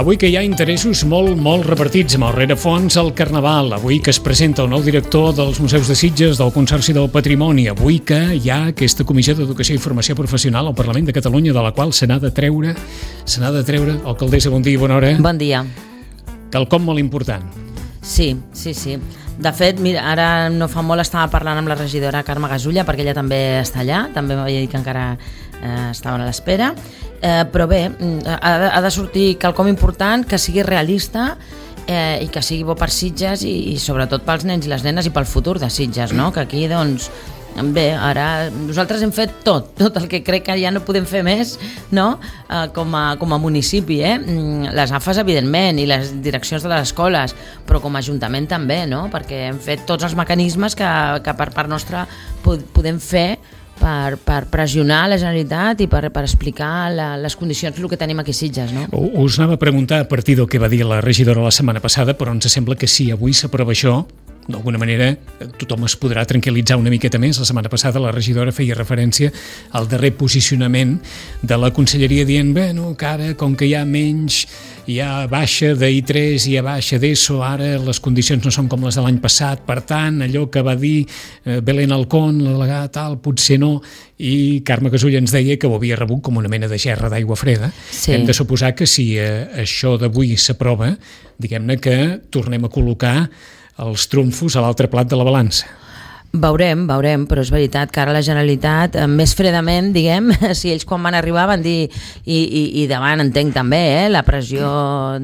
Avui que hi ha interessos molt repartits amb el rerefons al Carnaval, avui que es presenta el nou director dels Museus de Sitges, del Consorci del Patrimoni, avui que hi ha aquesta Comissió d'Educació i Formació Professional al Parlament de Catalunya, de la qual se n'ha de treure, alcaldessa, bon dia i bona hora. Bon dia. Quelcom molt important. Sí. De fet, mira, ara no fa molt estava parlant amb la regidora Carme Gasulla, perquè ella també està allà, també m'havia dit que encara estaven a l'espera, però bé, ha de sortir quelcom important, que sigui realista i que sigui bo per Sitges i sobretot pels nens i les nenes i pel futur de Sitges, no? Que aquí, doncs, bé, ara nosaltres hem fet tot el que crec que ja no podem fer més, no? Com a municipi, les AFAs evidentment i les direccions de les escoles, però com a ajuntament també, no? Perquè hem fet tots els mecanismes que per part nostra podem fer per pressionar la Generalitat i per explicar les condicions del que tenim aquí a Sitges, no? Us anava a preguntar a partir del que va dir la regidora la setmana passada, però ens sembla que si avui s'aprova això, d'alguna manera tothom es podrà tranquil·litzar una miqueta més. La setmana passada la regidora feia referència al darrer posicionament de la conselleria dient, bueno, que ara, com que hi ha menys, hi ha baixa d'I3 i hi ha baixa d'ESO, ara les condicions no són com les de l'any passat, per tant, allò que va dir Belén Alcón, la delegada tal, potser no, i Carme Gasulla ens deia que ho havia rebut com una mena de gerra d'aigua freda. Sí. Hem de suposar que si això d'avui s'aprova, diguem-ne que tornem a col·locar els trumfos a l'altre plat de la balança. Veurem, però és veritat que ara la Generalitat, més fredament, diguem, si ells quan van arribar van dir, i davant entenc també, la pressió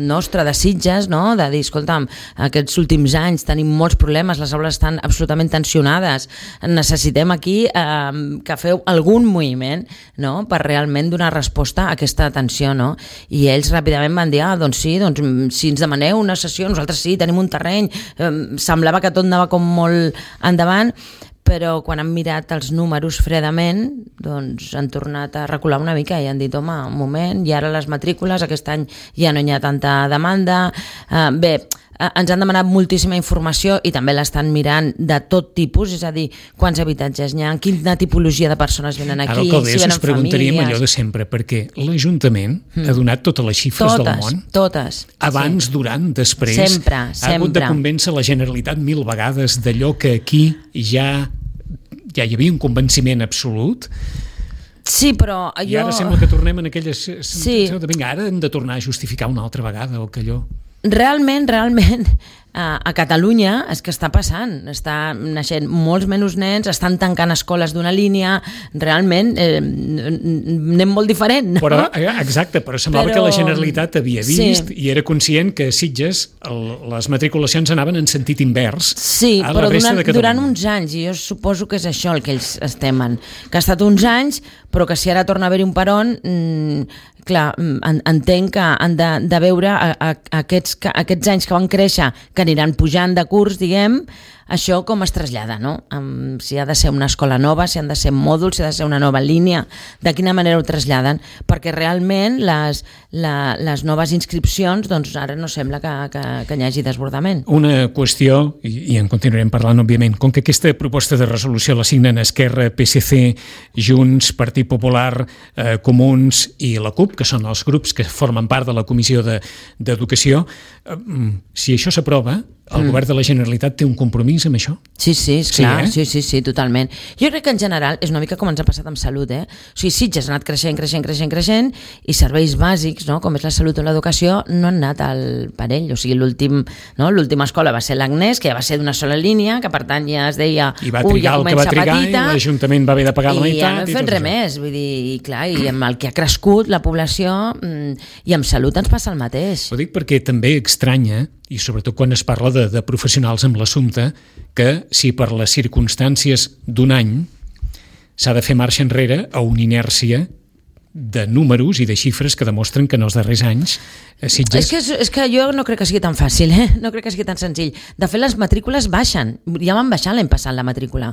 nostra de Sitges, no? De dir, escolta'm, aquests últims anys tenim molts problemes, les aules estan absolutament tensionades, necessitem aquí que feu algun moviment, no? Per realment donar resposta a aquesta tensió, no? I ells ràpidament van dir, doncs sí, si ens demaneu una sessió, nosaltres sí, tenim un terreny, semblava que tot anava com molt endavant, però quan han mirat els números fredament, doncs han tornat a recular una mica i han dit, home, un moment, i ara les matrícules, aquest any ja no hi ha tanta demanda. Bé, ens han demanat moltíssima informació i també l'estan mirant de tot tipus, és a dir, quants habitatges hi ha, quina tipologia de persones venen aquí, si venen famílies. Ara, alcaldessa, us preguntaríem allò de sempre, perquè l'Ajuntament ha donat totes les xifres del món. Totes. Abans, durant, després. Sempre. Ha hagut de convèncer la Generalitat 1000 vegades d'allò que aquí ja hi havia un convenciment absolut. Sí, però I ara sembla que tornem en aquella sensació de, vinga, ara hem de tornar a justificar una altra vegada o que allò... Realment, a Catalunya és que està passant, està naixent molts menys nens, estan tancant escoles d'una línia, realment anem molt diferent, no? Però, exacte, però semblava que la Generalitat havia vist i era conscient que a Sitges les matriculacions anaven en sentit invers. Sí, però durant uns anys, i jo suposo que és això el que ells es temen, que ha estat uns anys, però que si ara torna a haver-hi un peron, clar, entenc que han de veure aquests anys que van créixer, que aniran pujant de curs, diguem, això com es trasllada, no? Si ha de ser una escola nova, si han de ser mòduls, si ha de ser una nova línia, de quina manera ho traslladen, perquè realment les noves inscripcions, doncs ara no sembla que hi hagi desbordament. Una qüestió, i en continuarem parlant, òbviament, com que aquesta proposta de resolució la signen Esquerra, PSC, Junts, Partit Popular, Comuns i la CUP, que són els grups que formen part de la Comissió d'Educació, si això s'aprova, el govern de la Generalitat té un compromís amb això? Sí, esclar, sí, totalment. Jo crec que en general és una mica com ens ha passat amb salut, O sigui, Sitges ha anat creixent i serveis bàsics, no? Com és la salut o l'educació, no han anat al parell. O sigui, l'última escola va ser l'Agnès, que ja va ser d'una sola línia, que per tant ja es deia... I va trigar el que va trigar i l'Ajuntament va haver de pagar la meitat. I ja no hem fet res més, vull dir, i clar, i amb el que ha crescut la població i amb salut ens passa el mateix. Ho dic perquè també estranya, i sobretot quan es parla de professionals amb l'assumpte, que si per les circumstàncies d'un any s'ha de fer marxa enrere a una inèrcia de números i de xifres que demostren que en els darrers anys Sitges... És que jo no crec que sigui tan fàcil, no crec que sigui tan senzill. De fet, les matrícules baixen, ja van baixar l'any passat la matrícula.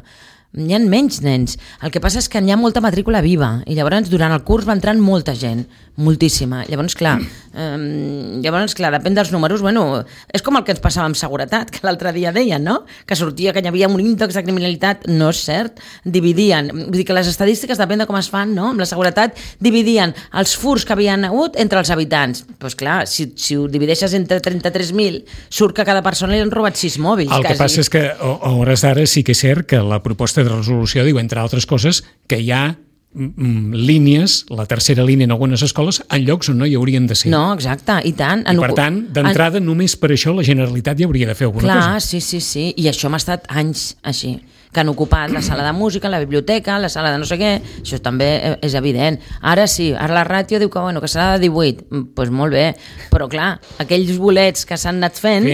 N'hi ha menys nens. El que passa és que n'hi ha molta matrícula viva i llavors durant el curs va entrant molta gent, moltíssima. Llavors, clar, depèn dels números. Bueno, és com el que ens passava amb seguretat, que l'altre dia deien, no? Que sortia que hi havia un índex de criminalitat. No és cert. Dividien. Vull dir que les estadístiques, depèn de com es fan, no? Amb la seguretat dividien els furs que havien hagut entre els habitants. Doncs clar, si ho divideixes entre 33.000, surt que a cada persona li han robat 6 mòbils. El que passa és que a hores d'ara sí que és cert que la proposta de resolució diu, entre altres coses, que hi ha línies, la tercera línia en algunes escoles, en llocs on no hi haurien de ser. No, exacte, i tant. I per tant, d'entrada, només per això la Generalitat ja hauria de fer alguna cosa. Clar, sí. I això m'ha estat anys així, que han ocupat la sala de música, la biblioteca, la sala de no sé què, això també és evident. Ara sí, ara la ràtio diu que serà de 18, doncs molt bé, però clar, aquells bolets que s'han anat fent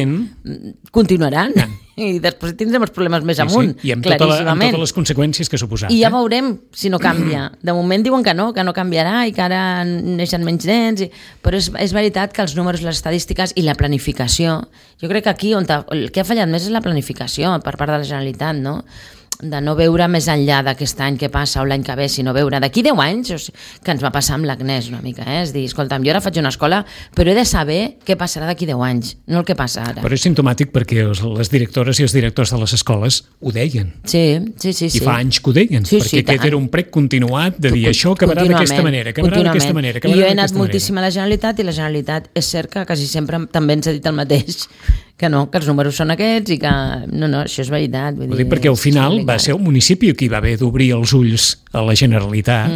continuaran. I després tindrem els problemes més amunt, i amb claríssimament. totes les conseqüències que ha suposat. I ja veurem si no canvia. De moment diuen que no canviarà i que ara neixen menys nens, però és veritat que els números, les estadístiques i la planificació, jo crec que aquí el que ha fallat més és la planificació per part de la Generalitat, no? De no veure més enllà d'aquest any que passa o l'any que ve, sinó veure d'aquí 10 anys, que ens va passar amb l'Agnès una mica, és dir, escolta'm, jo ara faig una escola, però he de saber què passarà d'aquí 10 anys, no el que passa ara. Però és simptomàtic perquè les directores i els directors de les escoles ho deien. Sí. I fa anys que ho deien, perquè aquest era un prec continuat de dir això acabarà d'aquesta manera, acabarà d'aquesta manera. I jo he anat moltíssim a la Generalitat i la Generalitat és cert que quasi sempre també ens ha dit el mateix, que no, que els números són aquests i que no, això és veritat. Ho dic perquè al final va ser el municipi qui va haver d'obrir els ulls a la Generalitat.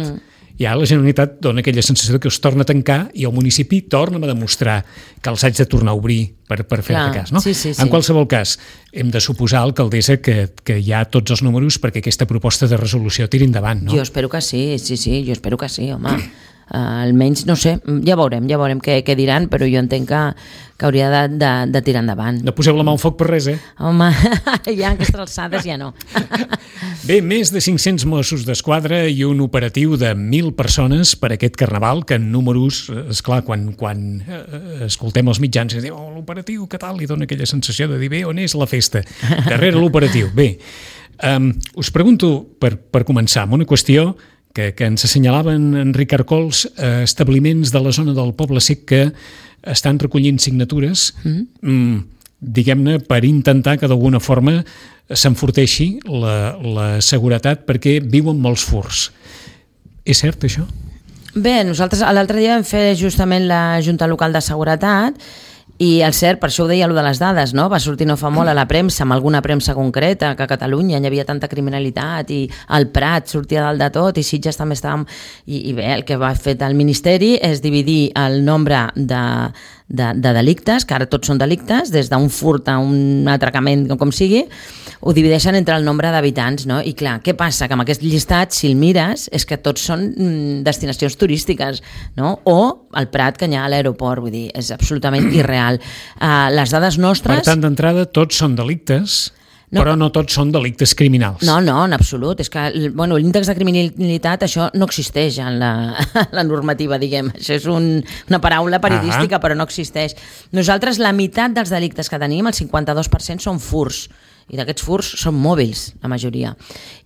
I ara la Generalitat dona aquella sensació que es torna a tancar i el municipi torna a demostrar que els haig de tornar a obrir per fer-te cas. No? Sí. En qualsevol cas, hem de suposar, alcaldessa, que hi ha tots els números perquè aquesta proposta de resolució tiri endavant. No? Jo espero que sí, jo espero que sí, home. Almenys, no sé, ja veurem què diran, però jo entenc que hauria de tirar endavant. No poseu la mà al foc per res, Home, ja a aquestes alçades ja no. Bé, més de 500 Mossos d'Esquadra i un operatiu de 1.000 persones per aquest carnaval, que en números, esclar, quan escoltem els mitjans i diu, l'operatiu, què tal? I dona aquella sensació de dir, bé, on és la festa? Darrere l'operatiu. Bé, us pregunto, per començar, amb una qüestió que ens assenyalaven Enric Arcols, establiments de la zona del Poble Sec que estan recollint signatures, diguem-ne, per intentar que d'alguna forma s'enforteixi la seguretat perquè viuen molts furs. És cert, això? Bé, nosaltres l'altre dia vam fer justament la Junta Local de Seguretat i el cert, per això ho deia, allò de les dades, no? Va sortir no fa molt a la premsa, amb alguna premsa concreta, que a Catalunya hi havia tanta criminalitat i el Prat sortia dalt de tot i Sitges també estàvem... I bé, el que va fer el Ministeri és dividir el nombre de delictes, que ara tots són delictes, des d'un furt a un atracament, com sigui, ho divideixen entre el nombre d'habitants, no? I clar, què passa? Que amb aquest llistat, si el mires, és que tots són destinacions turístiques, no? O el Prat, que hi ha a l'aeroport, vull dir, és absolutament irreal. Les dades nostres... Per tant, d'entrada, tots són delictes, però no tots són delictes criminals. No, en absolut. És que l'índex de criminalitat, això no existeix en la normativa, diguem. Això és una paraula periodística, però no existeix. Nosaltres, la meitat dels delictes que tenim, el 52%, són furs. I d'aquests furs són mòbils, la majoria.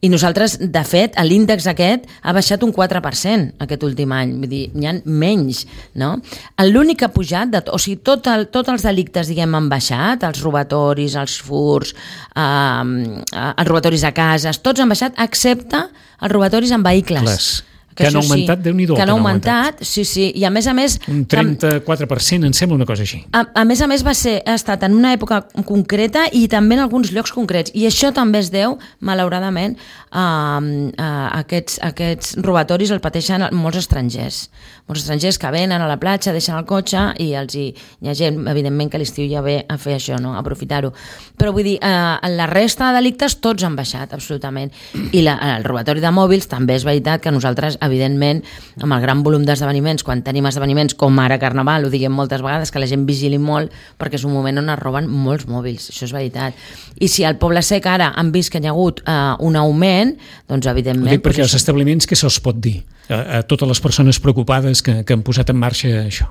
I nosaltres, de fet, l'índex aquest ha baixat un 4% aquest últim any. Vull dir, n'hi ha menys, no? L'únic que ha pujat, o sigui, tots els delictes, diguem, han baixat, els robatoris, els furs, els robatoris a cases, tots han baixat, excepte els robatoris en vehicles. Clar. Que han augmentat, Déu-n'hi-do. Que han augmentat, sí. I a més, un 34%, em sembla una cosa així. A més, ha estat en una època concreta i també en alguns llocs concrets. I això també es deu, malauradament, aquests robatoris el pateixen molts estrangers. Molts estrangers que venen a la platja, deixen el cotxe i hi ha gent, evidentment, que l'estiu ja ve a fer això, no? A aprofitar-ho. Però vull dir, la resta de delictes tots han baixat, absolutament. I el robatori de mòbils també és veritat que nosaltres evidentment, amb el gran volum d'esdeveniments, quan tenim esdeveniments com ara Carnaval, ho diguem moltes vegades, que la gent vigili molt perquè és un moment on es roben molts mòbils, això és veritat. I si al Poble Sec ara han vist que hi ha hagut un augment, doncs evidentment... Ho dic perquè als establiments què se'ls pot dir? A totes les persones preocupades que han posat en marxa això.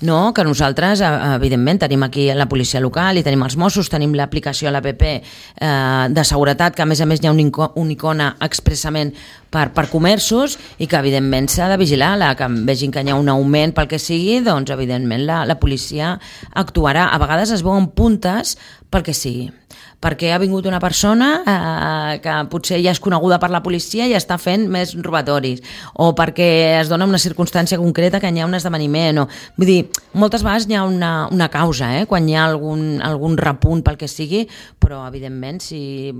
No, que nosaltres, evidentment, tenim aquí la policia local i tenim els Mossos, tenim l'aplicació a l'APP de seguretat, que a més hi ha una icona expressament per comerços i que evidentment s'ha de vigilar, que vegin que hi ha un augment pel que sigui, doncs evidentment la policia actuarà. A vegades es veuen puntes pel que sigui, perquè ha vingut una persona que potser ja és coneguda per la policia i està fent més robatoris, o perquè es dona una circumstància concreta que hi ha un esdeveniment, vull dir, moltes vegades hi ha una causa, quan hi ha algun repunt pel que sigui, però evidentment si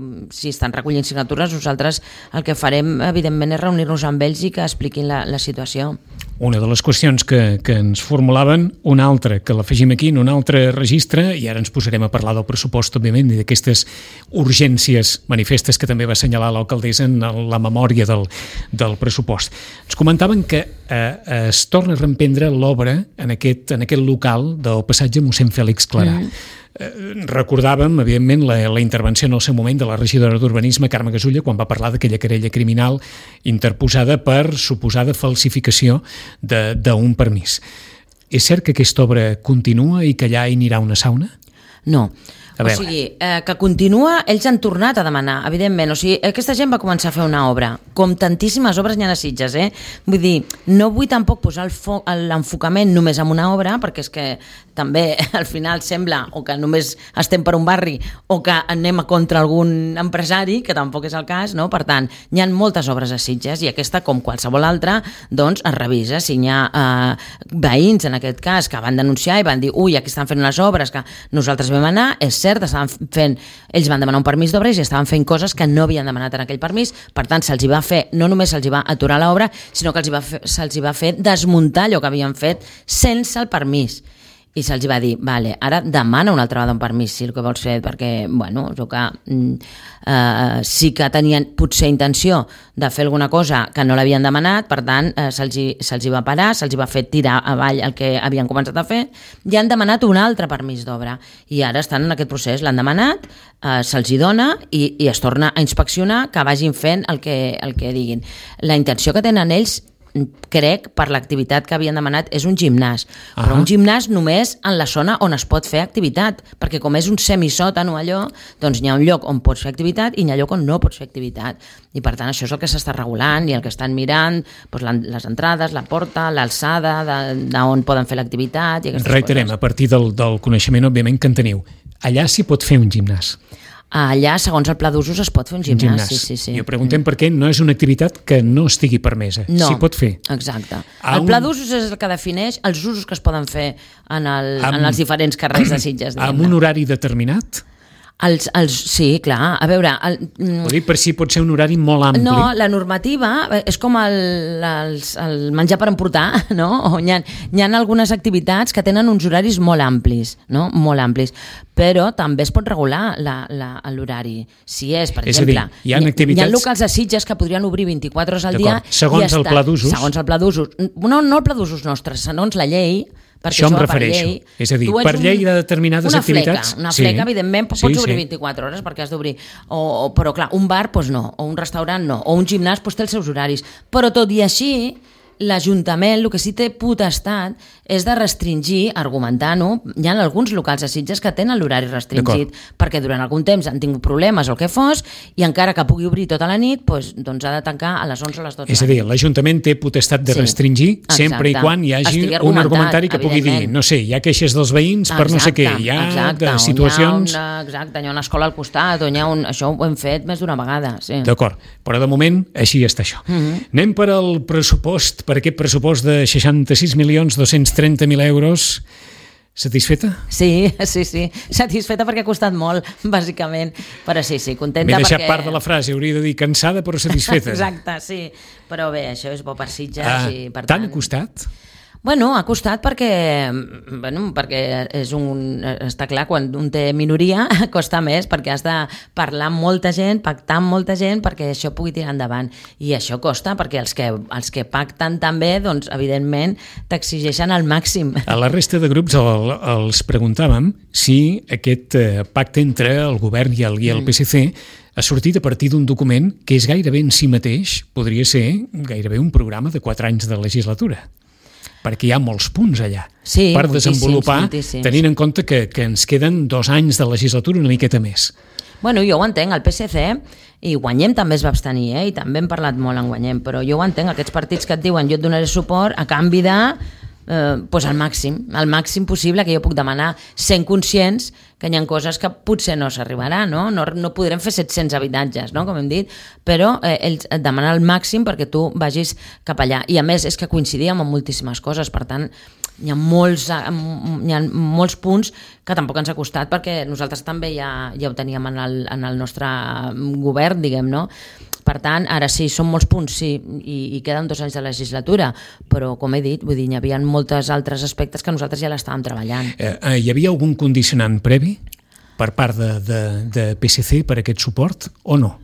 estan recollint signatures, nosaltres el que farem evidentment és reunir-nos amb ells i que expliquin la situació. Una de les qüestions que ens formulaven, una altra, que l'afegim aquí en un altre registre, i ara ens posarem a parlar del pressupost, òbviament, i d'aquestes urgències manifestes que també va assenyalar l'alcaldessa en la memòria del pressupost. Ens comentaven que es torna a reemprendre l'obra en aquest local del passatge Mossèn Fèlix Clarà. Recordàvem, evidentment, la intervenció en el seu moment de la regidora d'Urbanisme, Carme Gasulla, quan va parlar d'aquella querella criminal interposada per suposada falsificació d'un permís. És cert que aquesta obra continua i que allà hi anirà una sauna? No. O sigui, que continua, ells han tornat a demanar, evidentment, o sigui, aquesta gent va començar a fer una obra, com tantíssimes obres n'hi ha a Sitges, vull dir, no vull tampoc posar l'enfocament només en una obra, perquè és que també al final sembla o que només estem per un barri o que anem contra algun empresari, que tampoc és el cas, no? Per tant, hi ha moltes obres a Sitges i aquesta, com qualsevol altra, doncs es revisa. Si hi ha veïns, en aquest cas, que van denunciar i van dir, ui, aquí estan fent unes obres que nosaltres vam anar, és cert, ells van demanar un permís d'obra i estaven fent coses que no havien demanat en aquell permís, per tant se'ls va fer, no només se'ls va aturar l'obra, sinó que se'ls va fer desmuntar allò que havien fet sense el permís. I se'ls va dir, vale, ara demana una altra vegada un permís, si el que vols fer, perquè, bueno, sí que tenien potser intenció de fer alguna cosa que no l'havien demanat, per tant, se'ls va parar, se'ls va fer tirar avall el que havien començat a fer, i han demanat un altre permís d'obra, i ara estan en aquest procés, l'han demanat, se'ls hi dona i es torna a inspeccionar que vagin fent el que diguin. La intenció que tenen ells, crec, per l'activitat que havien demanat, és un gimnàs, però un gimnàs només en la zona on es pot fer activitat, perquè com és un semisòtan o allò, doncs hi ha un lloc on pots fer activitat i hi ha lloc on no pots fer activitat, i per tant això és el que s'està regulant i el que estan mirant, doncs les entrades, la porta, l'alçada d'on poden fer l'activitat i aquestes Reiterem, coses. A partir del coneixement, òbviament, que en teniu, allà s'hi pot fer un gimnàs. Allà, segons el pla d'usos, es pot fer un gimnàs. Sí. I ho preguntem perquè no és una activitat que no estigui permesa. No, s'hi pot fer. Exacte. El pla d'usos és el que defineix els usos que es poden fer en els diferents carrers de Sitges. Amb un horari determinat? Sí, clar, a veure... Ho dic per si pot ser un horari molt ampli. No, la normativa és com el menjar per emportar, no? Hi ha algunes activitats que tenen uns horaris molt amplis, no? Molt amplis, però també es pot regular l'horari. Si és, per exemple, hi ha locals a Sitges que podrien obrir 24 hores al dia... Segons el pla d'usos. Segons el pla d'usos. No el pla d'usos nostres, segons la llei... Això em refereixo. És a dir, per llei de determinades activitats... Una fleca, evidentment, pots obrir 24 hores perquè has d'obrir. Però, clar, un bar, doncs no. O un restaurant, no. O un gimnàs, doncs té els seus horaris. Però, tot i així, l'Ajuntament, el que sí té potestat és de restringir, argumentant-ho. Hi ha alguns locals a Sitges que tenen l'horari restringit perquè durant algun temps han tingut problemes o el que fos, i encara que pugui obrir tota la nit, doncs ha de tancar a les 11 o a les 12. És a dir, l'Ajuntament té potestat de restringir sempre i quan hi hagi un argumentari que pugui dir, no sé, hi ha queixes dels veïns per no sé què, hi ha situacions... Exacte, hi ha una escola al costat, això ho hem fet més d'una vegada. D'acord, però de moment així està això. Anem per al pressupost, per aquest pressupost de 66.230.000 euros. Satisfeta? Sí, satisfeta perquè ha costat molt, bàsicament, però sí, contenta perquè... M'he deixat part de la frase, hauria de dir cansada però satisfeta. Exacte, sí, però bé, això és bo per Sitges i per tant... Tant ha costat? Bueno, ha costat perquè està clar, quan un té minoria costa més, perquè has de parlar amb molta gent, pactar amb molta gent perquè això pugui tirar endavant. I això costa perquè els que pacten també, doncs, evidentment, t'exigeixen al màxim. A la resta de grups els preguntàvem si aquest pacte entre el govern i el PSC ha sortit a partir d'un document que és gairebé en si mateix, podria ser gairebé un programa de 4 anys de legislatura, perquè hi ha molts punts allà per desenvolupar, tenint en compte que ens queden 2 anys de legislatura, una miqueta més. Bueno, jo ho entenc, el PSC i Guanyem també es va abstenir, i també hem parlat molt en Guanyem, però jo ho entenc, aquests partits que et diuen jo et donaré suport a canvi de el màxim possible, que jo puc demanar, sent conscients que hi ha coses que potser no s'arribarà, no podrem fer 700 habitatges, no? Com hem dit, però ells et demanen el màxim perquè tu vagis cap allà, i a més és que coincidíem en moltíssimes coses, per tant hi ha molts punts que tampoc ens ha costat, perquè nosaltres també ja ho teníem en el nostre govern, diguem, no? Per tant, ara sí, són molts punts, sí, i queden 2 anys de legislatura, però, com he dit, vull dir, hi havia molts altres aspectes que nosaltres ja l'estàvem treballant. Hi havia algun condicionant previ per part de PSC per aquest suport, o no?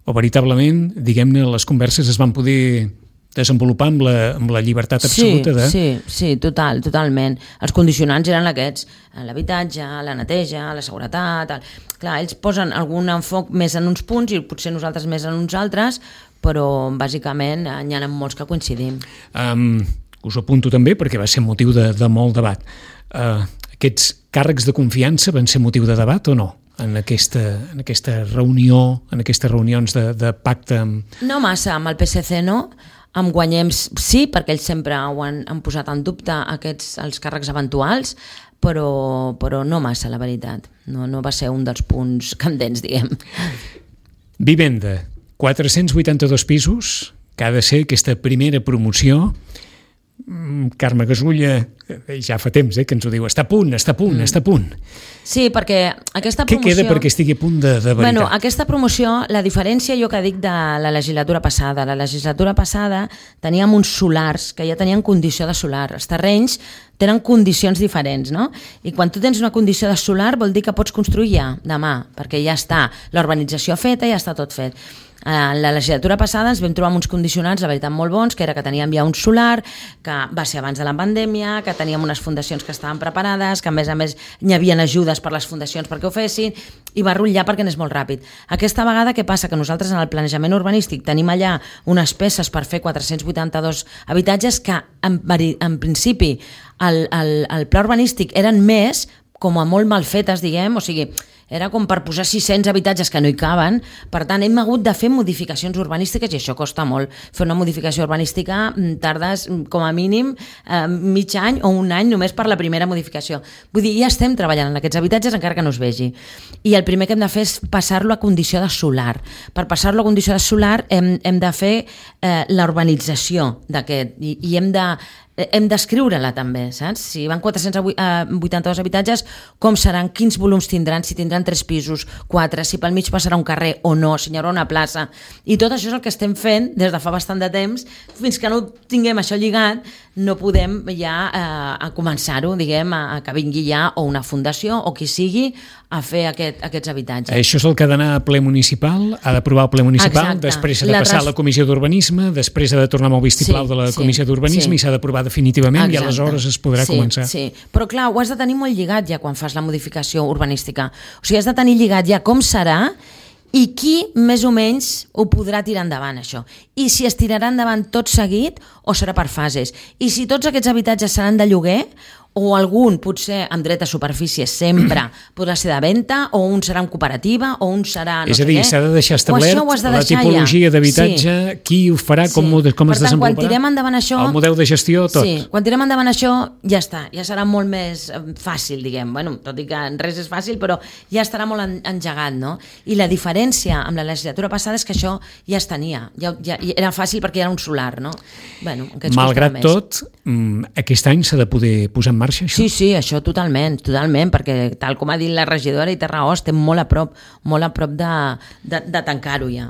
O veritablement, diguem-ne, les converses es van poder desenvolupar amb la llibertat absoluta de... Sí, totalment. Els condicionants eren aquests, l'habitatge, la neteja, la seguretat... Clar, ells posen algun enfoc més en uns punts i potser nosaltres més en uns altres, però bàsicament n'hi ha molts que coincidim. Us ho apunto també perquè va ser motiu de molt debat. Aquests càrrecs de confiança van ser motiu de debat o no? En aquesta reunió, en aquestes reunions de pacte amb... No massa, amb el PSC no. Amb Guanyem sí, perquè ells sempre han posat en dubte els càrrecs eventuals, però no massa, la veritat. No va ser un dels punts candents, diguem. Vivenda, 482 pisos, que ha de ser aquesta primera promoció. Carme Gasulla ja fa temps que ens ho diu, està a punt. Sí, perquè aquesta promoció... Què queda perquè estigui a punt de veritat? Bueno, aquesta promoció, la diferència jo que dic de la legislatura passada. La legislatura passada teníem uns solars que ja tenien condició de solar. Els terrenys tenen condicions diferents, no? I quan tu tens una condició de solar vol dir que pots construir ja, demà, perquè ja està l'urbanització feta, ja està tot fet. En la legislatura passada ens vam trobar amb uns condicionants, la veritat, molt bons, que era que teníem ja un solar, que va ser abans de la pandèmia, que teníem unes fundacions que estaven preparades, que a més hi havia ajudes per les fundacions perquè ho fessin, i va rotllar perquè anés molt ràpid. Aquesta vegada què passa? Que nosaltres en el planejament urbanístic tenim allà unes peces per fer 482 habitatges que en principi el pla urbanístic eren més, com a molt mal fetes, diguem, o sigui, era com per posar 600 habitatges que no hi caben, per tant hem hagut de fer modificacions urbanístiques i això costa molt. Fer una modificació urbanística tardes com a mínim mig any o un any només per la primera modificació. Vull dir, ja estem treballant en aquests habitatges encara que no es vegi. I el primer que hem de fer és passar-lo a condició de solar. Per passar-lo a condició de solar hem de fer la urbanització d'aquest i hem d'escriure-la també, saps? Si van 482 habitatges, com seran, quins volums tindran, si tindran 3 pisos, 4, si pel mig passarà un carrer o no, si hi haurà una plaça. I tot això és el que estem fent des de fa bastant de temps. Fins que no tinguem això lligat, no podem ja a començar-ho, diguem, a que vingui ja o una fundació o qui sigui a fer aquests habitatges. Això és el que ha d'anar a ple municipal, ha d'aprovar el ple municipal, exacte. Després s'ha de passar a la comissió d'urbanisme, després ha de tornar amb el vistiplau de la comissió d'urbanisme i s'ha d'aprovar definitivament. Exacte. I aleshores es podrà començar. Sí, però clar, ho has de tenir molt lligat ja quan fas la modificació urbanística. O sigui, has de tenir lligat ja com serà i qui més o menys ho podrà tirar endavant, això. I si es tirarà endavant tot seguit o serà per fases. I si tots aquests habitatges seran de lloguer o algun, potser amb dret a superfície sempre, podrà ser de venda, o un serà en cooperativa, o un serà no sé què. És a dir, s'ha de deixar establert la tipologia d'habitatge, qui ho farà, com es desenvoluparà. Per tant, quan tirem endavant això... El model de gestió, tot. Sí, quan tirem endavant això, ja està, ja serà molt més fàcil, diguem. Bueno, tot i que res és fàcil, però ja estarà molt engegat, no? I la diferència amb la legislatura passada és que això ja es tenia, ja era fàcil perquè era un solar, no? Bueno, malgrat tot, aquest any s'ha de poder posar en marxa, això? Sí, això totalment, perquè tal com ha dit la regidora i té raó, estem molt a prop de tancar-ho ja.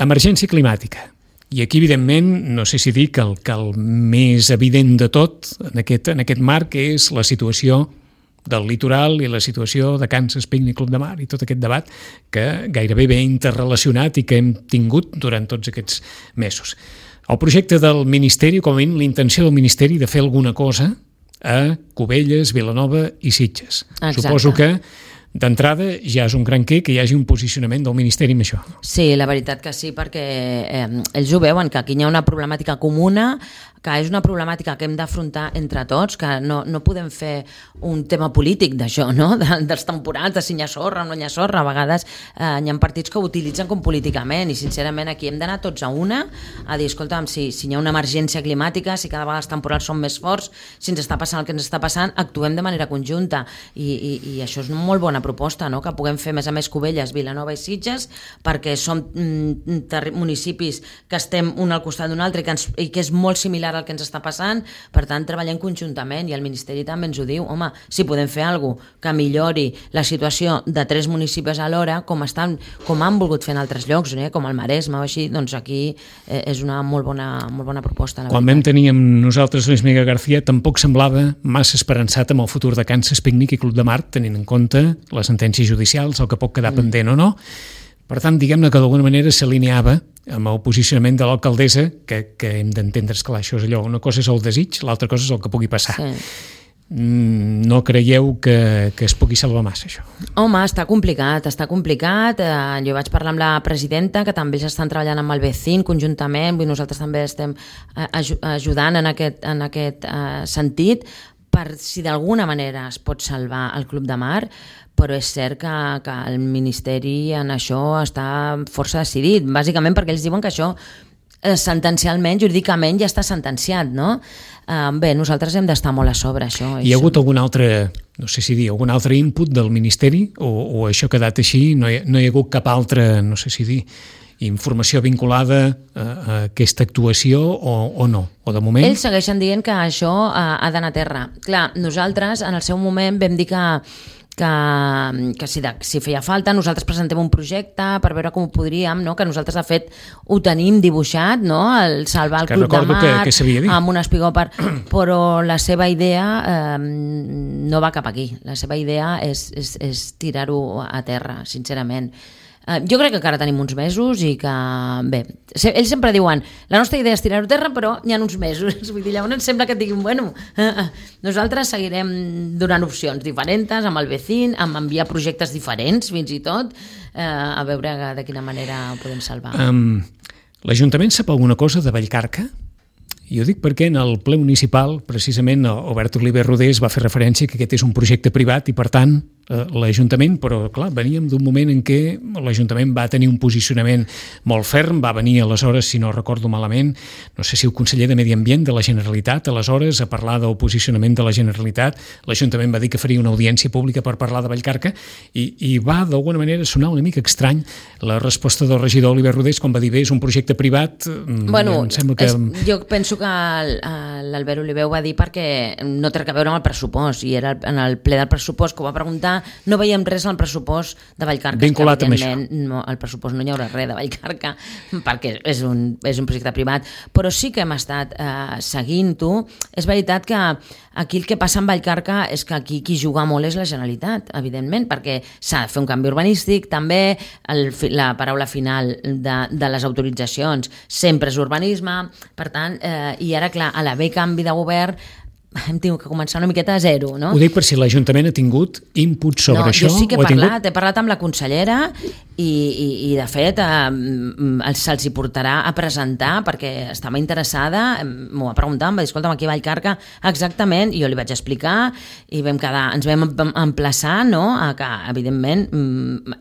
Emergència climàtica. I aquí, evidentment, no sé si dir que el més evident de tot en aquest marc és la situació del litoral i la situació de Kansas Picnic Club de Mar i tot aquest debat que gairebé ve interrelacionat i que hem tingut durant tots aquests mesos. El projecte del Ministeri, com a mínim l'intenció del Ministeri de fer alguna cosa a Cubelles, Vilanova i Sitges. Exacte. Suposo que d'entrada ja és un gran què que hi hagi un posicionament del Ministeri en això. Sí, la veritat que sí, perquè ells ho veuen, que aquí hi ha una problemàtica comuna, que és una problemàtica que hem d'afrontar entre tots, que no podem fer un tema polític d'això, no? Dels temporals, de si hi ha sorra o no hi ha sorra. A vegades hi ha partits que ho utilitzen com políticament i sincerament aquí hem d'anar tots a una, a dir, escolta'm, si hi ha una emergència climàtica, si cada vegada els temporals són més forts, si ens està passant el que ens està passant, actuem de manera conjunta i això és una molt bona proposta, no? Que puguem fer, a més a més, Cubelles, Vilanova i Sitges, perquè som municipis que estem un al costat d'un altre i que és molt similar el que ens està passant, per tant treballem conjuntament i el Ministeri també ens ho diu, home, si podem fer alguna cosa que millori la situació de 3 municipis alhora, com han volgut fer en altres llocs, com el Maresme o així, doncs aquí és una molt bona proposta. Quan vam tenir amb nosaltres Luis Miguel García tampoc semblava massa esperançat amb el futur de Kansas Picnic i Club de Mar, tenint en compte les sentències judicials, el que pot quedar pendent o no. Per tant, diguem-ne que d'alguna manera s'alineava amb el posicionament de l'alcaldessa, que hem d'entendre, esclar, això és allò, una cosa és el desig, l'altra cosa és el que pugui passar. Sí. No creieu que es pugui salvar massa, això? Home, està complicat. Jo vaig parlar amb la presidenta, que també ells estan treballant amb el Vecin conjuntament, nosaltres també estem ajudant en aquest sentit, per si d'alguna manera es pot salvar el Club de Mar, però és cert que el Ministeri en això està força decidit, bàsicament perquè ells diuen que això sentencialment, jurídicament ja està sentenciat, no? Bé, nosaltres hem d'estar molt a sobre, això. Hi ha hagut algun altre, no sé si dir, algun altre input del Ministeri o això ha quedat així? No hi ha hagut cap altra, no sé si dir, informació vinculada a aquesta actuació o no? O de moment? Ells segueixen dient que això ha d'anar a terra. Clar, nosaltres en el seu moment vam dir que si feia falta nosaltres presentem un projecte per veure com ho podríem, no? Que nosaltres de fet ho tenim dibuixat, no? El salvar el Club de Mar amb un espigó però la seva idea no va cap aquí, la seva idea és tirar-ho a terra, sincerament. Jo crec que encara tenim uns mesos i que, bé, ells sempre diuen la nostra idea és tirar-ho a terra, però hi ha uns mesos. Vull dir, llavors sembla que et diguin, bueno, nosaltres seguirem donant opcions diferents amb el Vecin, amb enviar projectes diferents, fins i tot, a veure de quina manera ho podem salvar. L'Ajuntament sap alguna cosa de Vallcarca? I ho dic perquè en el ple municipal, precisament, Albert Oliver Rodés va fer referència que aquest és un projecte privat i, per tant, l'Ajuntament, però clar, veníem d'un moment en què l'Ajuntament va tenir un posicionament molt ferm, va venir aleshores, si no recordo malament, no sé si el conseller de Medi Ambient de la Generalitat, aleshores, a parlar del posicionament de la Generalitat, l'Ajuntament va dir que faria una audiència pública per parlar de Vallcarca i va, d'alguna manera, sonar una mica estrany la resposta del regidor Oliver Rodés quan va dir, bé, és un projecte privat, bueno, em sembla que... Jo penso que l'Albert Oliver ho va dir perquè no té a veure amb el pressupost i era en el ple del pressupost que ho va preguntar, no veiem res al pressupost de Vallcarca. Vinculat amb això. No, al pressupost no hi haurà res de Vallcarca perquè és un projecte privat, però sí que hem estat seguint-ho. És veritat que aquí el que passa amb Vallcarca és que aquí qui juga molt és la Generalitat, evidentment, perquè s'ha de fer un canvi urbanístic, també la paraula final de les autoritzacions sempre és urbanisme, per tant, i ara, clar, a l'haver canvi de govern hem tingut que començar una miqueta a zero, no? Ho dic per si l'Ajuntament ha tingut input sobre això. Jo sí que he parlat amb la consellera i de fet se'ls hi portarà a presentar perquè estava interessada, m'ho va preguntar, em va dir, escolta'm, aquí a Vallcarca exactament, i jo li vaig explicar i ens vam emplaçar, no?, a que evidentment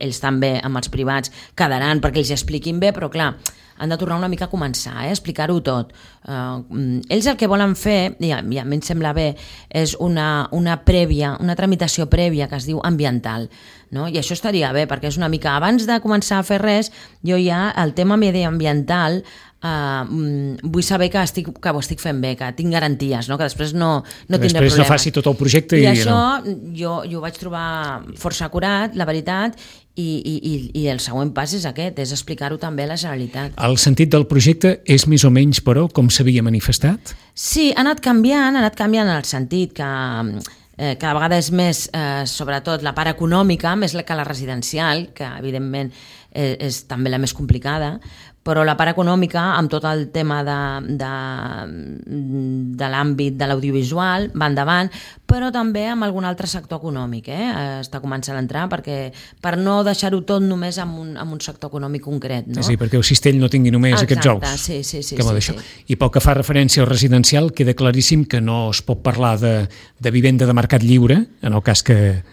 ells també amb els privats quedaran perquè ells expliquin bé, però clar, han de tornar una mica a començar, a explicar-ho tot. Ells el que volen fer, i a mi em sembla bé, és una tramitació prèvia que es diu ambiental, no? I això estaria bé, perquè és una mica, abans de començar a fer res, jo ja el tema mediambiental vull saber que ho estic fent bé, que tinc garanties, no? Que després no tindré problemes. Després no faci tot el projecte i això jo ho vaig trobar força acurat, la veritat, i el següent pas és aquest, és explicar-ho també a la Generalitat. El sentit del projecte és més o menys, però, com s'havia manifestat? Sí, ha anat canviant en el sentit que cada vegada és més, sobretot, la part econòmica, més que la residencial, que evidentment és també la més complicada, però la part econòmica, amb tot el tema de l'àmbit de l'audiovisual, va endavant, però també amb algun altre sector econòmic. Està començant a entrar, perquè per no deixar-ho tot només amb un sector econòmic concret. No? Sí, perquè el cistell no tingui només aquests ous. Sí. I pel que fa referència al residencial, queda claríssim que no es pot parlar de vivenda de mercat lliure, en el cas que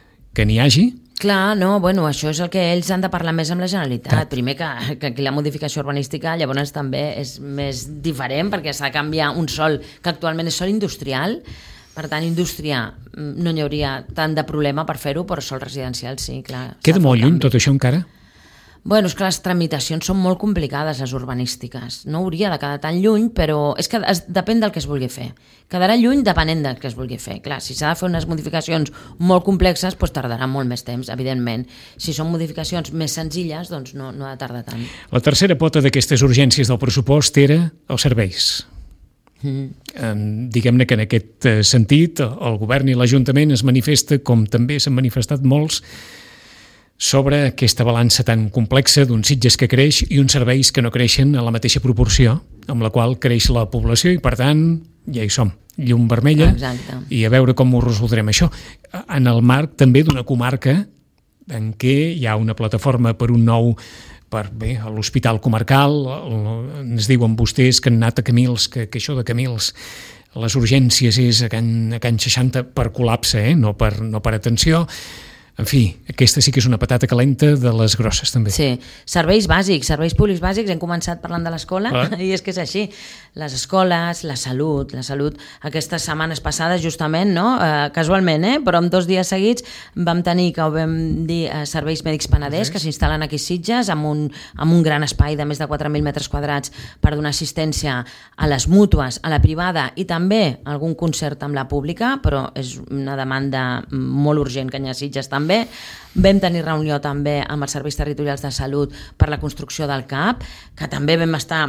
n'hi hagi. Clar, no, bueno, això és el que ells han de parlar més amb la Generalitat. Clar. Primer que aquí la modificació urbanística llavors també és més diferent perquè s'ha de canviar un sòl que actualment és sòl industrial. Per tant, indústria no hi hauria tant de problema per fer-ho, però sòl residencial sí, clar. Queda molt lluny tot això encara? Bueno, és que les tramitacions són molt complicades, les urbanístiques. No hauria de quedar tan lluny, però és que depèn del que es vulgui fer. Quedarà lluny depenent del que es vulgui fer. Clar, si s'ha de fer unes modificacions molt complexes, doncs tardarà molt més temps, evidentment. Si són modificacions més senzilles, doncs no ha de tardar tant. La tercera pota d'aquestes urgències del pressupost era els serveis. Diguem-ne que en aquest sentit el govern i l'Ajuntament es manifesta, com també s'han manifestat molts, sobre aquesta balança tan complexa d'uns Sitges que creix i uns serveis que no creixen a la mateixa proporció amb la qual creix la població i, per tant, ja hi som, llum vermella. Exacte. I a veure com ho resoldrem això. En el marc també d'una comarca en què hi ha una plataforma per un nou a l'Hospital Comarcal, ens diuen vostès que han anat a Camils, que això de Camils, les urgències és a Can 60 per col·lapse, no per atenció. En fi, aquesta sí que és una patata calenta de les grosses, també. Sí, serveis bàsics, serveis públics bàsics, hem començat parlant de l'escola, i és que és així. Les escoles, la salut, aquestes setmanes passades, justament, no? Casualment, però en 2 dies seguits vam tenir, que ho vam dir, serveis mèdics peneders, que s'instal·len aquí a Sitges, amb un gran espai de més de 4.000 metres quadrats per donar assistència a les mútues, a la privada, i també algun concert amb la pública, però és una demanda molt urgent que hi ha a Sitges també. Vam tenir reunió també amb els serveis territorials de salut per la construcció del CAP, que també vam estar,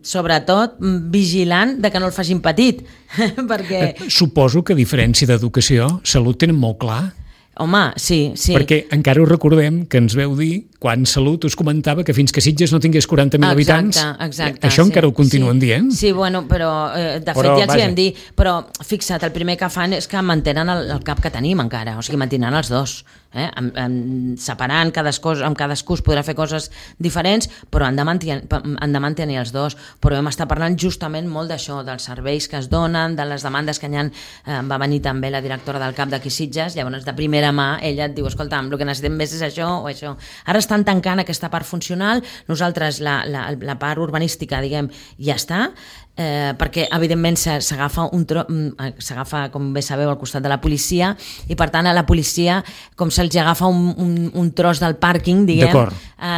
sobretot, vigilant de que no el facin petit. Perquè... Suposo que a diferència d'educació, salut tenen molt clar. Home, sí. Perquè encara ho recordem que ens veu dir, quan Salut us comentava que fins que Sitges no tingués 40.000 habitants, això encara ho continuen dient. Sí, bueno, però de fet ja els hi vam dir, però fixa't, el primer que fan és que mantenen el CAP que tenim encara, o sigui, mantenen els dos. Separant amb cadascú es podrà fer coses diferents, però han de mantenir els dos. Però hem estat parlant justament molt d'això, dels serveis que es donen, de les demandes que hi ha. Va venir també la directora del CAP d'aquí Sitges, llavors de primera mà ella et diu, escolta'm, el que necessitem més és això o això. Ara estan tancant aquesta part funcional, nosaltres la part urbanística, diguem, ja està, perquè evidentment s'agafa com bé sabeu al costat de la policia, i per tant a la policia com se'ls agafa un tros del pàrquing, diguem,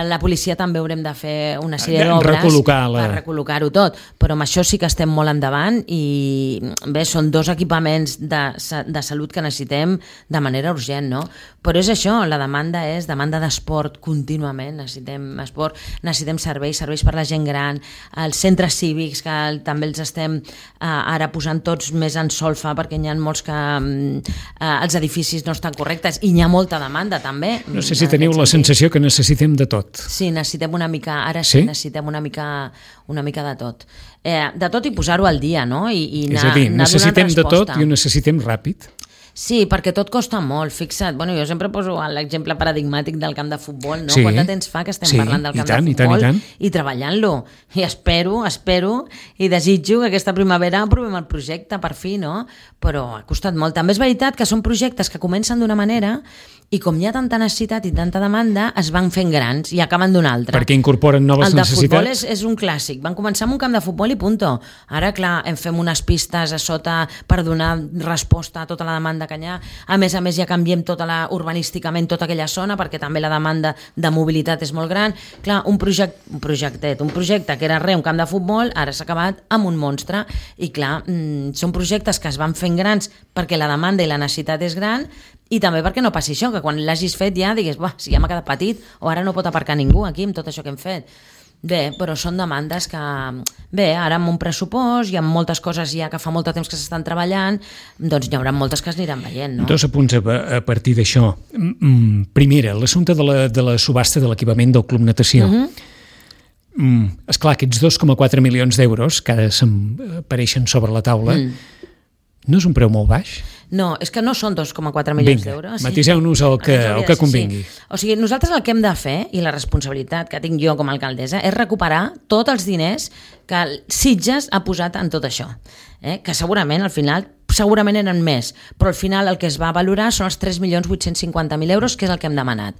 la policia també haurem de fer una sèrie d'obres per recol·locar-ho tot, però amb això sí que estem molt endavant, i bé, són 2 equipaments de salut que necessitem de manera urgent, no? Però és això, la demanda és demanda d'esport contínuament, necessitem esport, necessitem serveis per la gent gran, els centres cívics que també els estem ara posant tots més en solfa perquè n'hi ha molts que els edificis no estan correctes i n'hi ha molta demanda també. No sé si teniu la sensació que necessitem de tot. Sí, necessitem una mica, ara sí, necessitem una mica de tot. De tot i posar-ho al dia, no? És a dir, necessitem de tot i ho necessitem ràpid. Sí, perquè tot costa molt, fixa't. Bueno, jo sempre poso l'exemple paradigmàtic del camp de futbol, no? Sí. Quant de temps fa que estem parlant del camp de futbol i treballant-lo. I espero i desitjo que aquesta primavera aprovem el projecte, per fi, no? Però ha costat molt. També és veritat que són projectes que comencen d'una manera i com hi ha tanta necessitat i tanta demanda, es van fent grans i acaben d'una altra. Perquè incorporen noves necessitats. El de futbol és un clàssic. Van començar amb un camp de futbol i punto. Ara, clar, fem unes pistes a sota per donar resposta a tota la demanda de Canyar. A més, ja canviem urbanísticament tota aquella zona, perquè també la demanda de mobilitat és molt gran. Clar, un projecte que era un camp de futbol, ara s'ha acabat amb un monstre, i clar, són projectes que es van fent grans perquè la demanda i la necessitat és gran, i també perquè no passi això, que quan l'hagis fet ja digues, si ja m'ha quedat petit, o ara no pot aparcar ningú aquí amb tot això que hem fet. Bé, però són demandes que... Bé, ara amb un pressupost i amb moltes coses ja que fa molt de temps que s'estan treballant, doncs hi haurà moltes que es aniran veient, no? 2 apunts a partir d'això. Primera, l'assumpte de la subhasta de l'equipament del Club Natació. Esclar, aquests 2,4 milions d'euros que ara apareixen sobre la taula, no és un preu molt baix? No, és que no són 2,4 milions d'euros. Matiseu-nos el que convingui. Sí. O sigui, nosaltres el que hem de fer, i la responsabilitat que tinc jo com a alcaldessa, és recuperar tots els diners que Sitges ha posat en tot això. Que segurament, al final, eren més, però al final el que es va valorar són els 3.850.000 euros, que és el que hem demanat.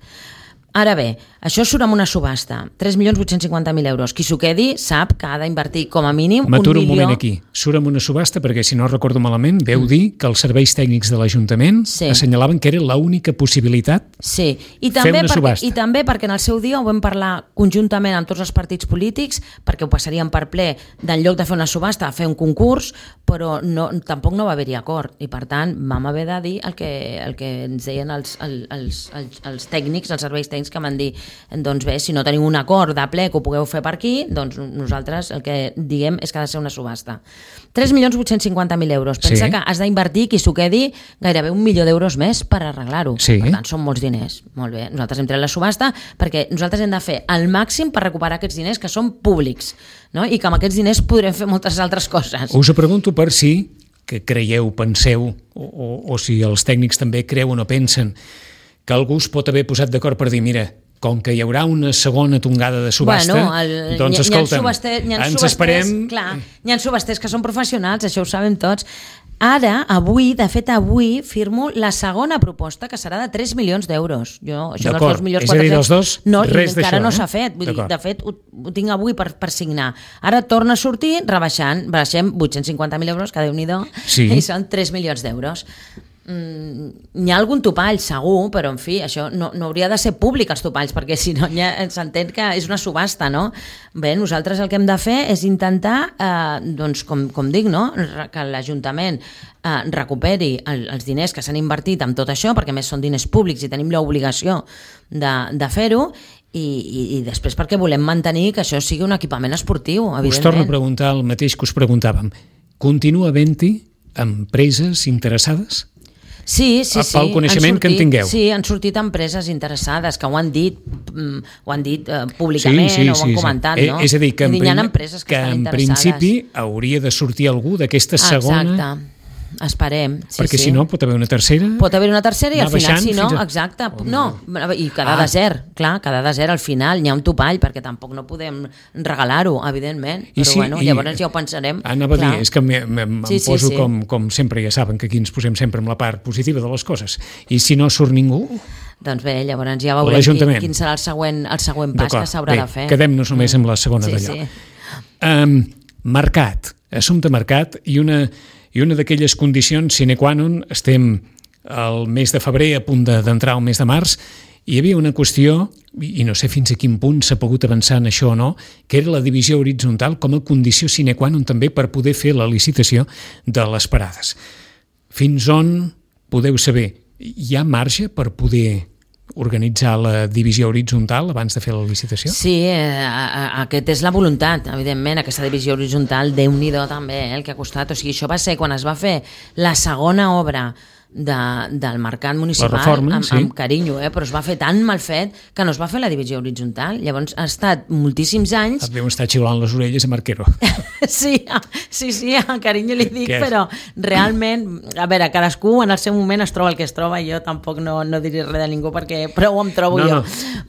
Ara bé, això surt amb una subhasta, 3.850.000 euros. Qui s'ho quedi sap que ha d'invertir com a mínim M'aturo un moment aquí. Surt amb una subhasta perquè, si no recordo malament, veu dir que els serveis tècnics de l'Ajuntament assenyalaven que era l'única possibilitat fer una subhasta. I també perquè en el seu dia ho vam parlar conjuntament amb tots els partits polítics, perquè ho passaríem per ple, d'en lloc de fer una subhasta, a fer un concurs, però tampoc no va haver-hi acord. I per tant, vam haver de dir el que ens deien els tècnics, els serveis tècnics, que van dir, doncs bé, si no tenim un acord de ple que ho pugueu fer per aquí, doncs nosaltres el que diem és que ha de ser una subhasta. 3.850.000 euros. Pensa que has d'invertir, qui s'ho quedi, gairebé 1 milió d'euros més per arreglar-ho. Per tant, són molts diners. Molt bé, nosaltres hem tret la subhasta perquè nosaltres hem de fer el màxim per recuperar aquests diners que són públics, no? I que amb aquests diners podrem fer moltes altres coses. Us ho pregunto per si que creieu, penseu, o si els tècnics també creuen o pensen que algú es pot haver posat d'acord per dir, mira, com que hi haurà una segona tongada de subhasta, doncs escolta'm, ens esperem... Clar, hi ha subhasters que són professionals, això ho sabem tots. Ara, avui firmo la segona proposta, que serà de 3 milions d'euros. Això dels 2 milions 400... És a dir, dels dos, res d'això. Encara no s'ha fet. Vull dir, de fet, ho tinc avui per signar. Ara torna a sortir baixem 850.000 euros, que Déu-n'hi-do, i són 3 milions d'euros. N'hi ha algun topall segur, però en fi, això no hauria de ser públic, els topalls, perquè si no s'entén que és una subhasta, no? Bé, nosaltres el que hem de fer és intentar, doncs com dic, no? Que l'Ajuntament recuperi els diners que s'han invertit en tot això, perquè a més són diners públics i tenim l'obligació de fer-ho, i després perquè volem mantenir que això sigui un equipament esportiu, evidentment. Us torno a preguntar el mateix que us preguntàvem. Continua havent-hi empreses interessades? Sí. Pel coneixement que en tingueu. Sí, han sortit empreses interessades que ho han dit públicament o ho han comentat, no? És a dir, que en principi hauria de sortir algú d'aquesta segona... Exacte. Esperem. Perquè si no pot haver una tercera... Pot haver una tercera i al final, si no, exacte. No, i quedar desert, clar, quedar desert al final, n'hi ha un topall, perquè tampoc no podem regalar-ho, evidentment. Però bueno, llavors ja ho pensarem. Anava a dir, és que em poso com sempre, ja saben que aquí ens posem sempre amb la part positiva de les coses. I si no surt ningú... Doncs bé, llavors ja veurem quin serà el següent pas que s'haurà de fer. Quedem-nos només amb la segona d'allò. Mercat, assumpte mercat, i una d'aquelles condicions sine qua non, estem al mes de febrer, a punt d'entrar al mes de març, hi havia una qüestió, i no sé fins a quin punt s'ha pogut avançar en això o no, que era la divisió horitzontal com a condició sine qua non també per poder fer la licitació de les parades. Fins on podeu saber? Hi ha marge per poder organitzar la divisió horitzontal abans de fer la licitació? Sí, aquesta és la voluntat, evidentment, aquesta divisió horitzontal, Déu-n'hi-do també, el que ha costat. O sigui, això va ser quan es va fer la segona obra del mercat municipal, reforma, amb carinyo, però es va fer tan mal fet que no es va fer la divisió horitzontal. Llavors ha estat moltíssims anys... Et deuen estar xiulant les orelles a Marquero. Sí, a carinyo li dic, però realment, a veure, cadascú en el seu moment es troba el que es troba, i jo tampoc no diré res de ningú perquè prou em trobo jo.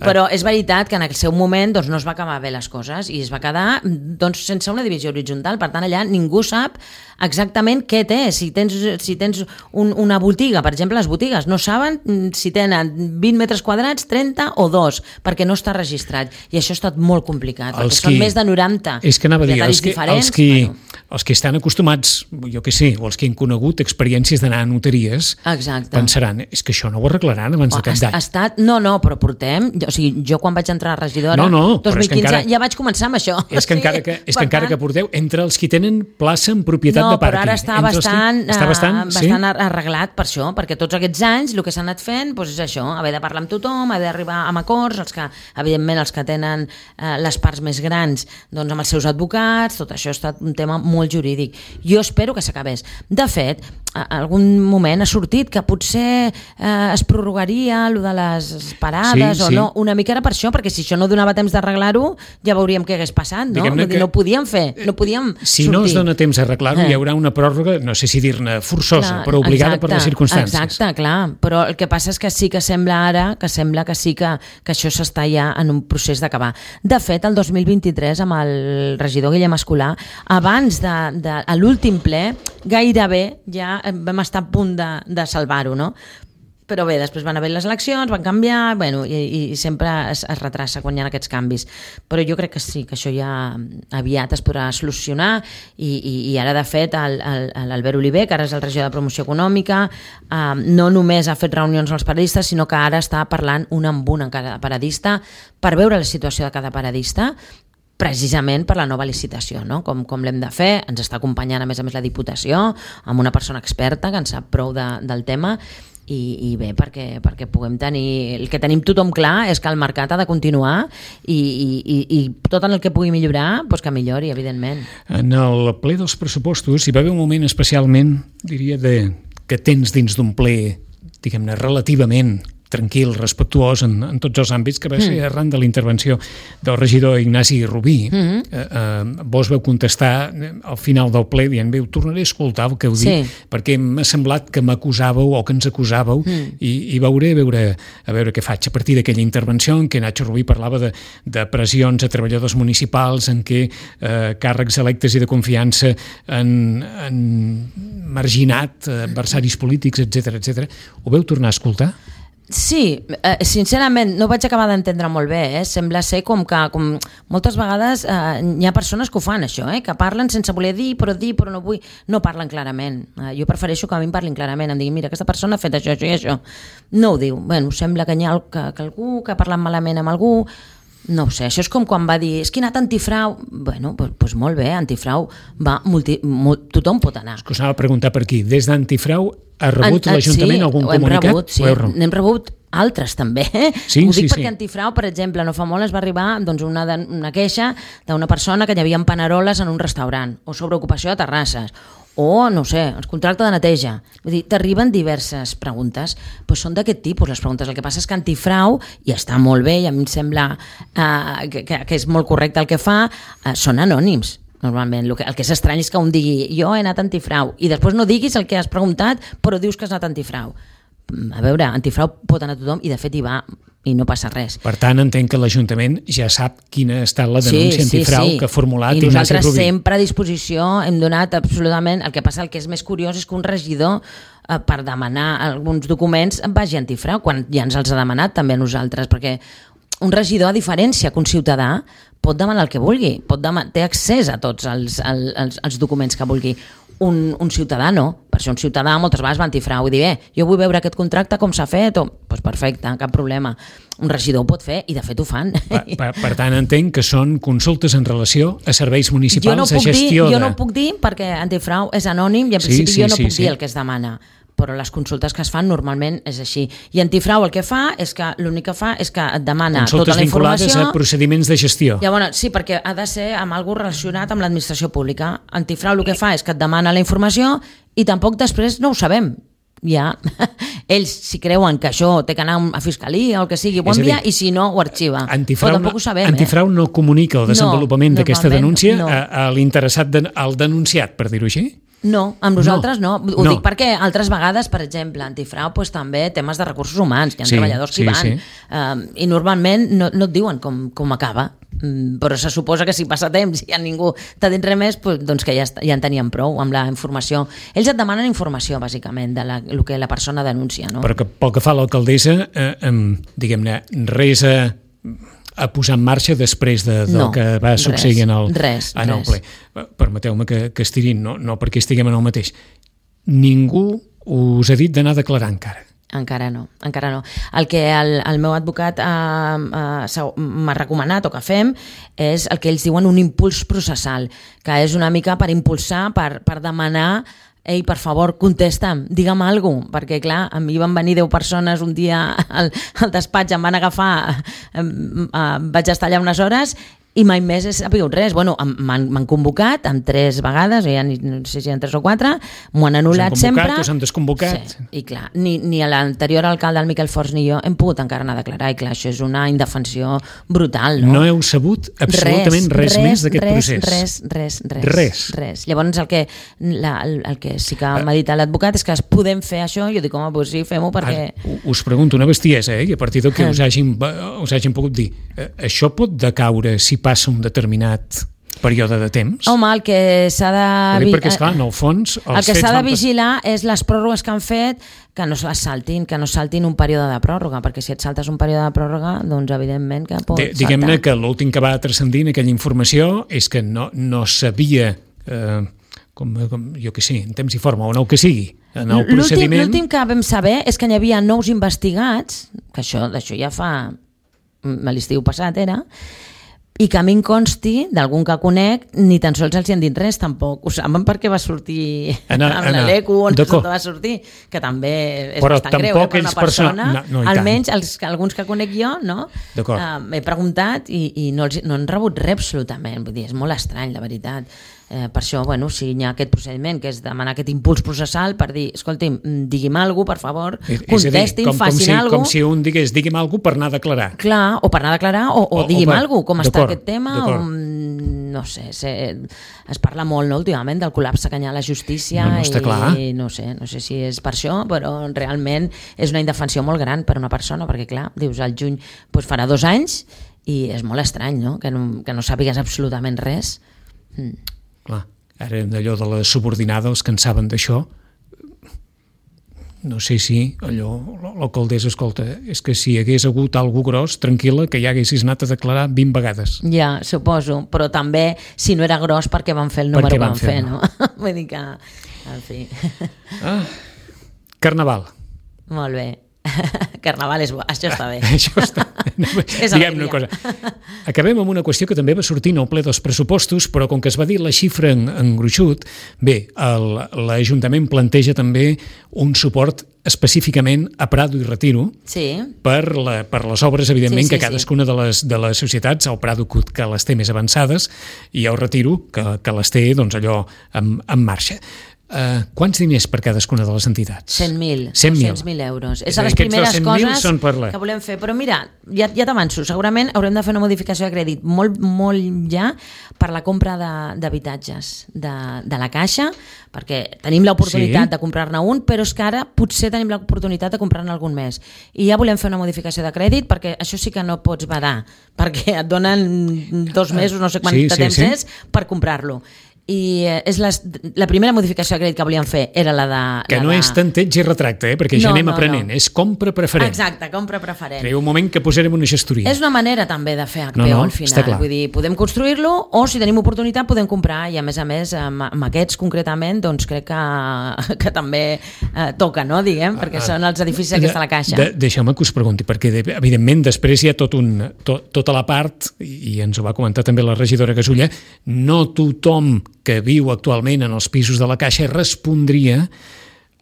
Però és veritat que en el seu moment doncs, no es va acabar bé les coses i es va quedar doncs, sense una divisió horitzontal. Per tant, allà ningú sap exactament què té. Si tens una botiga, per exemple, les botigues no saben si tenen 20 metres quadrats, 30 o 2, perquè no està registrat. I això ha estat molt complicat, perquè són més de 90 propietaris diferents. Els que estan acostumats, jo què sé, o els que han conegut experiències d'anar a notaries, pensaran, és que això no ho arreglaran abans de cap d'any. No, però portem... Jo quan vaig entrar a regidora, 2015, ja vaig començar amb això. És que encara que porteu, entre els que tenen plaça en propietat de pàrquing... No, però ara està bastant arreglat per això, perquè tots aquests anys el que s'ha anat fent és això, haver de parlar amb tothom, haver d'arribar a acords, evidentment els que tenen les parts més grans amb els seus advocats, tot això ha estat un tema molt jurídic. Jo espero que s'acabés. De fet, algun moment ha sortit que potser es prorrogaria allò de les parades o no, una mica era per això, perquè si això no donava temps d'arreglar-ho, ja veuríem què hagués passat, no? No podíem fer, no podíem sortir. Si no es dona temps d'arreglar-ho, hi haurà una pròrroga, no sé si dir-ne forçosa, però obligada per les circumstàncies. Exacte, clar, però el que passa és que sí que sembla ara, que sí que això s'està ja en un procés d'acabar. De fet, el 2023, amb el regidor Guillem Escolà, abans de l'últim ple, gairebé ja vam estar a punt de salvar-ho, no? Però bé, després van haver les eleccions, van canviar, i sempre es retrassa quan hi ha aquests canvis. Però jo crec que sí, que això ja aviat es podrà solucionar i ara, de fet, l'Albert Oliver, que ara és el regidor de Promoció Econòmica, no només ha fet reunions amb els paradistes, sinó que ara està parlant un amb un en cada paradista per veure la situació de cada paradista, precisament per la nova licitació, no? Com l'hem de fer. Ens està acompanyant a més la Diputació amb una persona experta que en sap prou del tema i bé, perquè puguem tenir... El que tenim tothom clar és que el mercat ha de continuar i tot en el que pugui millorar, que millori, evidentment. En el ple dels pressupostos hi va haver un moment especialment, diria, que tens dins d'un ple, diguem-ne, relativament tranquil, respectuós en tots els àmbits, que va ser arran de la intervenció del regidor Ignasi Rubí. Vos veu contestar al final del ple dient, ho tornaré a escoltar el que heu dit, perquè m'ha semblat que m'acusàveu o que ens acusàveu i veuré a veure què faig. A partir d'aquella intervenció en què Nacho Rubí parlava de pressions a treballadors municipals, en què càrrecs electes i de confiança han marginat adversaris polítics, etc. Ho veu tornar a escoltar? Sí, sincerament no vaig acabar d'entendre molt bé, sembla ser com moltes vegades hi ha persones que ho fan això, que parlen sense voler dir però no vull, no parlen clarament. Jo prefereixo que a mi em parlin clarament, em diguin, mira, aquesta persona ha fet això i això. No ho diu, sembla que hi ha algú que ha parlat malament amb algú. No ho sé, això és com quan va dir és que he anat antifrau, doncs molt bé, antifrau va, tothom pot anar. És que us anava a preguntar per aquí, des d'antifrau ha rebut l'Ajuntament algun comunicat? Sí, n'hem rebut altres també. Ho dic perquè antifrau, per exemple, no fa molt es va arribar una queixa d'una persona que hi havia paneroles en un restaurant o sobre ocupació de terrasses o, no sé, el contracte de neteja. Vull dir, t'arriben diverses preguntes, són d'aquest tipus les preguntes. El que passa és que antifrau, i està molt bé, i a mi em sembla que és molt correcte el que fa, són anònims. Normalment, el que és estrany és que un digui jo he anat antifrau, i després no diguis el que has preguntat, però dius que has anat antifrau. A veure, antifrau pot anar tothom, i de fet hi va, i no passa res. Per tant, entenc que l'Ajuntament ja sap quina ha estat la denúncia antifrau que ha formulat Ignasi Rubí. I nosaltres sempre a disposició hem donat absolutament... El que passa, el que és més curiós és que un regidor per demanar alguns documents vagi antifrau, quan ja ens els ha demanat també a nosaltres, perquè un regidor, a diferència que un ciutadà, pot demanar el que vulgui, té accés a tots els documents que vulgui. Un ciutadà no, per això un ciutadà moltes vegades va antifrau i dir, jo vull veure aquest contracte com s'ha fet, doncs perfecte, cap problema. Un regidor ho pot fer i de fet ho fan. Per tant, entenc que són consultes en relació a serveis municipals, a gestió de... Jo no ho puc dir perquè antifrau és anònim i en principi jo no puc dir el que es demana, però les consultes que es fan normalment és així. I antifrau el que fa és que l'únic que fa és que et demana tota la informació... Consultes vinculades a procediments de gestió. Sí, perquè ha de ser amb alguna relacionat amb l'administració pública. Antifrau el que fa és que et demana la informació i tampoc després no ho sabem. Ja, ells si creuen que això té que anar a fiscalia o el que sigui, ho envia, i si no ho arxiva. Però tampoc ho sabem. Antifrau no comunica el desenvolupament d'aquesta denúncia a l'interessat, al denunciat, per dir-ho així? No, amb nosaltres no. Ho dic perquè altres vegades, per exemple, antifrau també temes de recursos humans, hi ha treballadors que hi van, i normalment no et diuen com acaba. Però se suposa que si passa temps i ningú t'ha dit res més, doncs que ja en tenien prou amb la informació. Ells et demanen informació, bàsicament, del que la persona denuncia, no? Però que pel que fa a l'alcaldessa, diguem-ne, res a posar en marxa després del que va succeir en el ple. Permeteu-me que estiri, no perquè estiguem en el mateix. Ningú us ha dit d'anar a declarar encara? Encara no. El que el meu advocat m'ha recomanat o que fem és el que ells diuen un impuls processal, que és una mica per impulsar, per demanar: ei, per favor, contesta'm, digue'm alguna cosa, perquè clar, a mi van venir 10 persones un dia al despatx, em van agafar, vaig estar allà unes hores i mai més he sabut res. Bueno, m'han convocat amb 3 vegades, no sé si hi ha 3 o 4, m'ho han anul·lat sempre. Us han desconvocat. Sí, i clar, ni l'anterior alcalde, el Miquel Forns, ni jo hem pogut encara anar a declarar, i clar, això és una indefensió brutal, no? No heu sabut absolutament res més d'aquest procés? Res. Llavors el que sí que m'ha dit l'advocat és que podem fer això, jo dic, home, doncs sí, fem-ho perquè... Us pregunto una bestiesa, i a partir del que us hagin pogut dir, això pot decaure si passa un determinat període de temps? Home, el que s'ha de... Perquè, esclar, en el fons... El que s'ha de vigilar és les pròrrogues que han fet, que no se les saltin, que no saltin un període de pròrroga, perquè si et saltes un període de pròrroga, doncs evidentment que pot saltar. Diguem-ne que l'últim que va transcendir en aquella informació és que no sabia, jo què sé, en temps i forma, o no que sigui, en el procediment... L'últim que vam saber és que hi havia nous investigats, que d'això ja fa... l'estiu passat era... i que a mi em consti, d'algun que conec, ni tan sols els hi han dit res, tampoc. Ho saben perquè va sortir amb l'Eleco, on va sortir, que també és bastant greu per una persona. Almenys alguns que conec jo, no? M'he preguntat i no han rebut res absolutament. Vull dir, és molt estrany, la veritat. Per això, bueno, si hi ha aquest procediment, que és demanar aquest impuls processal per dir, escolti'm, digui'm alguna cosa, per favor, contestin, facin alguna cosa. Com si un digués, digui'm alguna cosa per anar a declarar. Clar, o per anar a declarar, o digui'm alguna cosa, com està aquest tema, no sé, es parla molt, no, últimament, del col·lapse que hi ha a la justícia, i no sé si és per això, però realment és una indefensió molt gran per una persona, perquè clar, dius, al juny farà 2 anys, i és molt estrany, no?, que no sàpigues absolutament res. Clar, ara d'allò de la subordinada, els que en saben d'això, no sé si l'alcaldessa, escolta, és que si hi hagués hagut algú gros, tranquil·la, que ja haguessis anat a declarar 20 vegades. Ja, suposo, però també, si no era gros, perquè van fer el número que van fer, no? Vull dir que, en fi... Carnaval. Molt bé. Carnaval és bo, això està bé. Això està bé. Diguem una cosa. Acabem amb una qüestió que també va sortir en el ple dels pressupostos, però com que es va dir la xifra en gruixut, bé, l'Ajuntament planteja també un suport específicament a Prado i Retiro per les obres, evidentment, que cadascuna de les societats, el Prado que les té més avançades i el Retiro que les té allò en marxa. Quants diners per cadascuna de les entitats? 100.000 euros. És a les primeres coses que volem fer. Però mira, ja t'avanço, segurament haurem de fer una modificació de crèdit molt ja per la compra d'habitatges de la Caixa, perquè tenim l'oportunitat de comprar-ne un, però és que ara potser tenim l'oportunitat de comprar-ne algun més. I ja volem fer una modificació de crèdit, perquè això sí que no pots badar, perquè et donen 2 mesos, no sé quant de temps és, per comprar-lo. I és la primera modificació de crèdit que volíem fer era la de... Que no és tanteig i retracte, perquè ja anem aprenent, és compra preferent. Exacte, compra preferent. Hi ha un moment que posarem una gestoria. És una manera també de fer HPO al final, vull dir, podem construir-lo o si tenim oportunitat podem comprar i a més amb aquests concretament doncs crec que també toca, no, diguem, perquè són els edificis aquesta la Caixa. Deixeu-me que us pregunti, perquè evidentment després hi ha tota la part, i ens ho va comentar també la regidora Gasulla, no tothom que viu actualment en els pisos de la Caixa respondria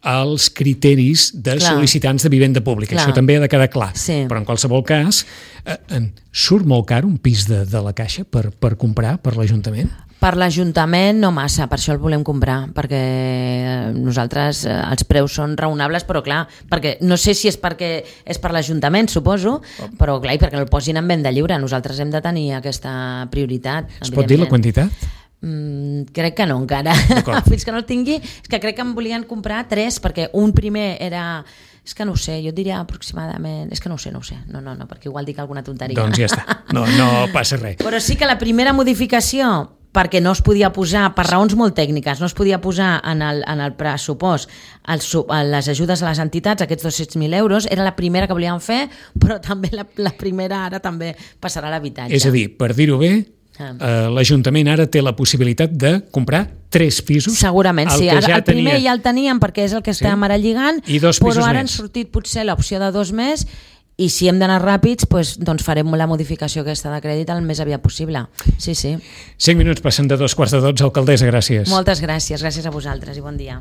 als criteris de sol·licitants de vivenda pública. Això també ha de quedar clar. Però en qualsevol cas, surt molt car un pis de la Caixa per comprar per l'Ajuntament? Per l'Ajuntament no massa, per això el volem comprar, perquè nosaltres els preus són raonables, però clar, perquè no sé si és perquè és per l'Ajuntament, suposo, però clar, perquè el posin en venda lliure. Nosaltres hem de tenir aquesta prioritat. Es pot dir la quantitat? Crec que no encara, fins que no el tingui. És que crec que em volien comprar 3, perquè un primer era És que no ho sé, jo et diria aproximadament... És que no ho sé, no, perquè igual dic alguna tonteria. Doncs ja està, no passa res. Però sí que la primera modificació, perquè no es podia posar, per raons molt tècniques, no es podia posar en el pressupost les ajudes a les entitats, aquests 200.000 euros, era la primera que volíem fer, però també la primera ara també passarà a l'habitatge. És a dir, per dir-ho bé, l'Ajuntament ara té la possibilitat de comprar 3 pisos. Segurament, sí. El primer ja el teníem perquè és el que estem ara lligant, però ara han sortit potser l'opció de 2 més. I si hem d'anar ràpids, doncs farem la modificació aquesta de crèdit el més aviat possible. Sí. 5 minuts passen de 2:15, alcaldessa, gràcies. Moltes gràcies a vosaltres i bon dia.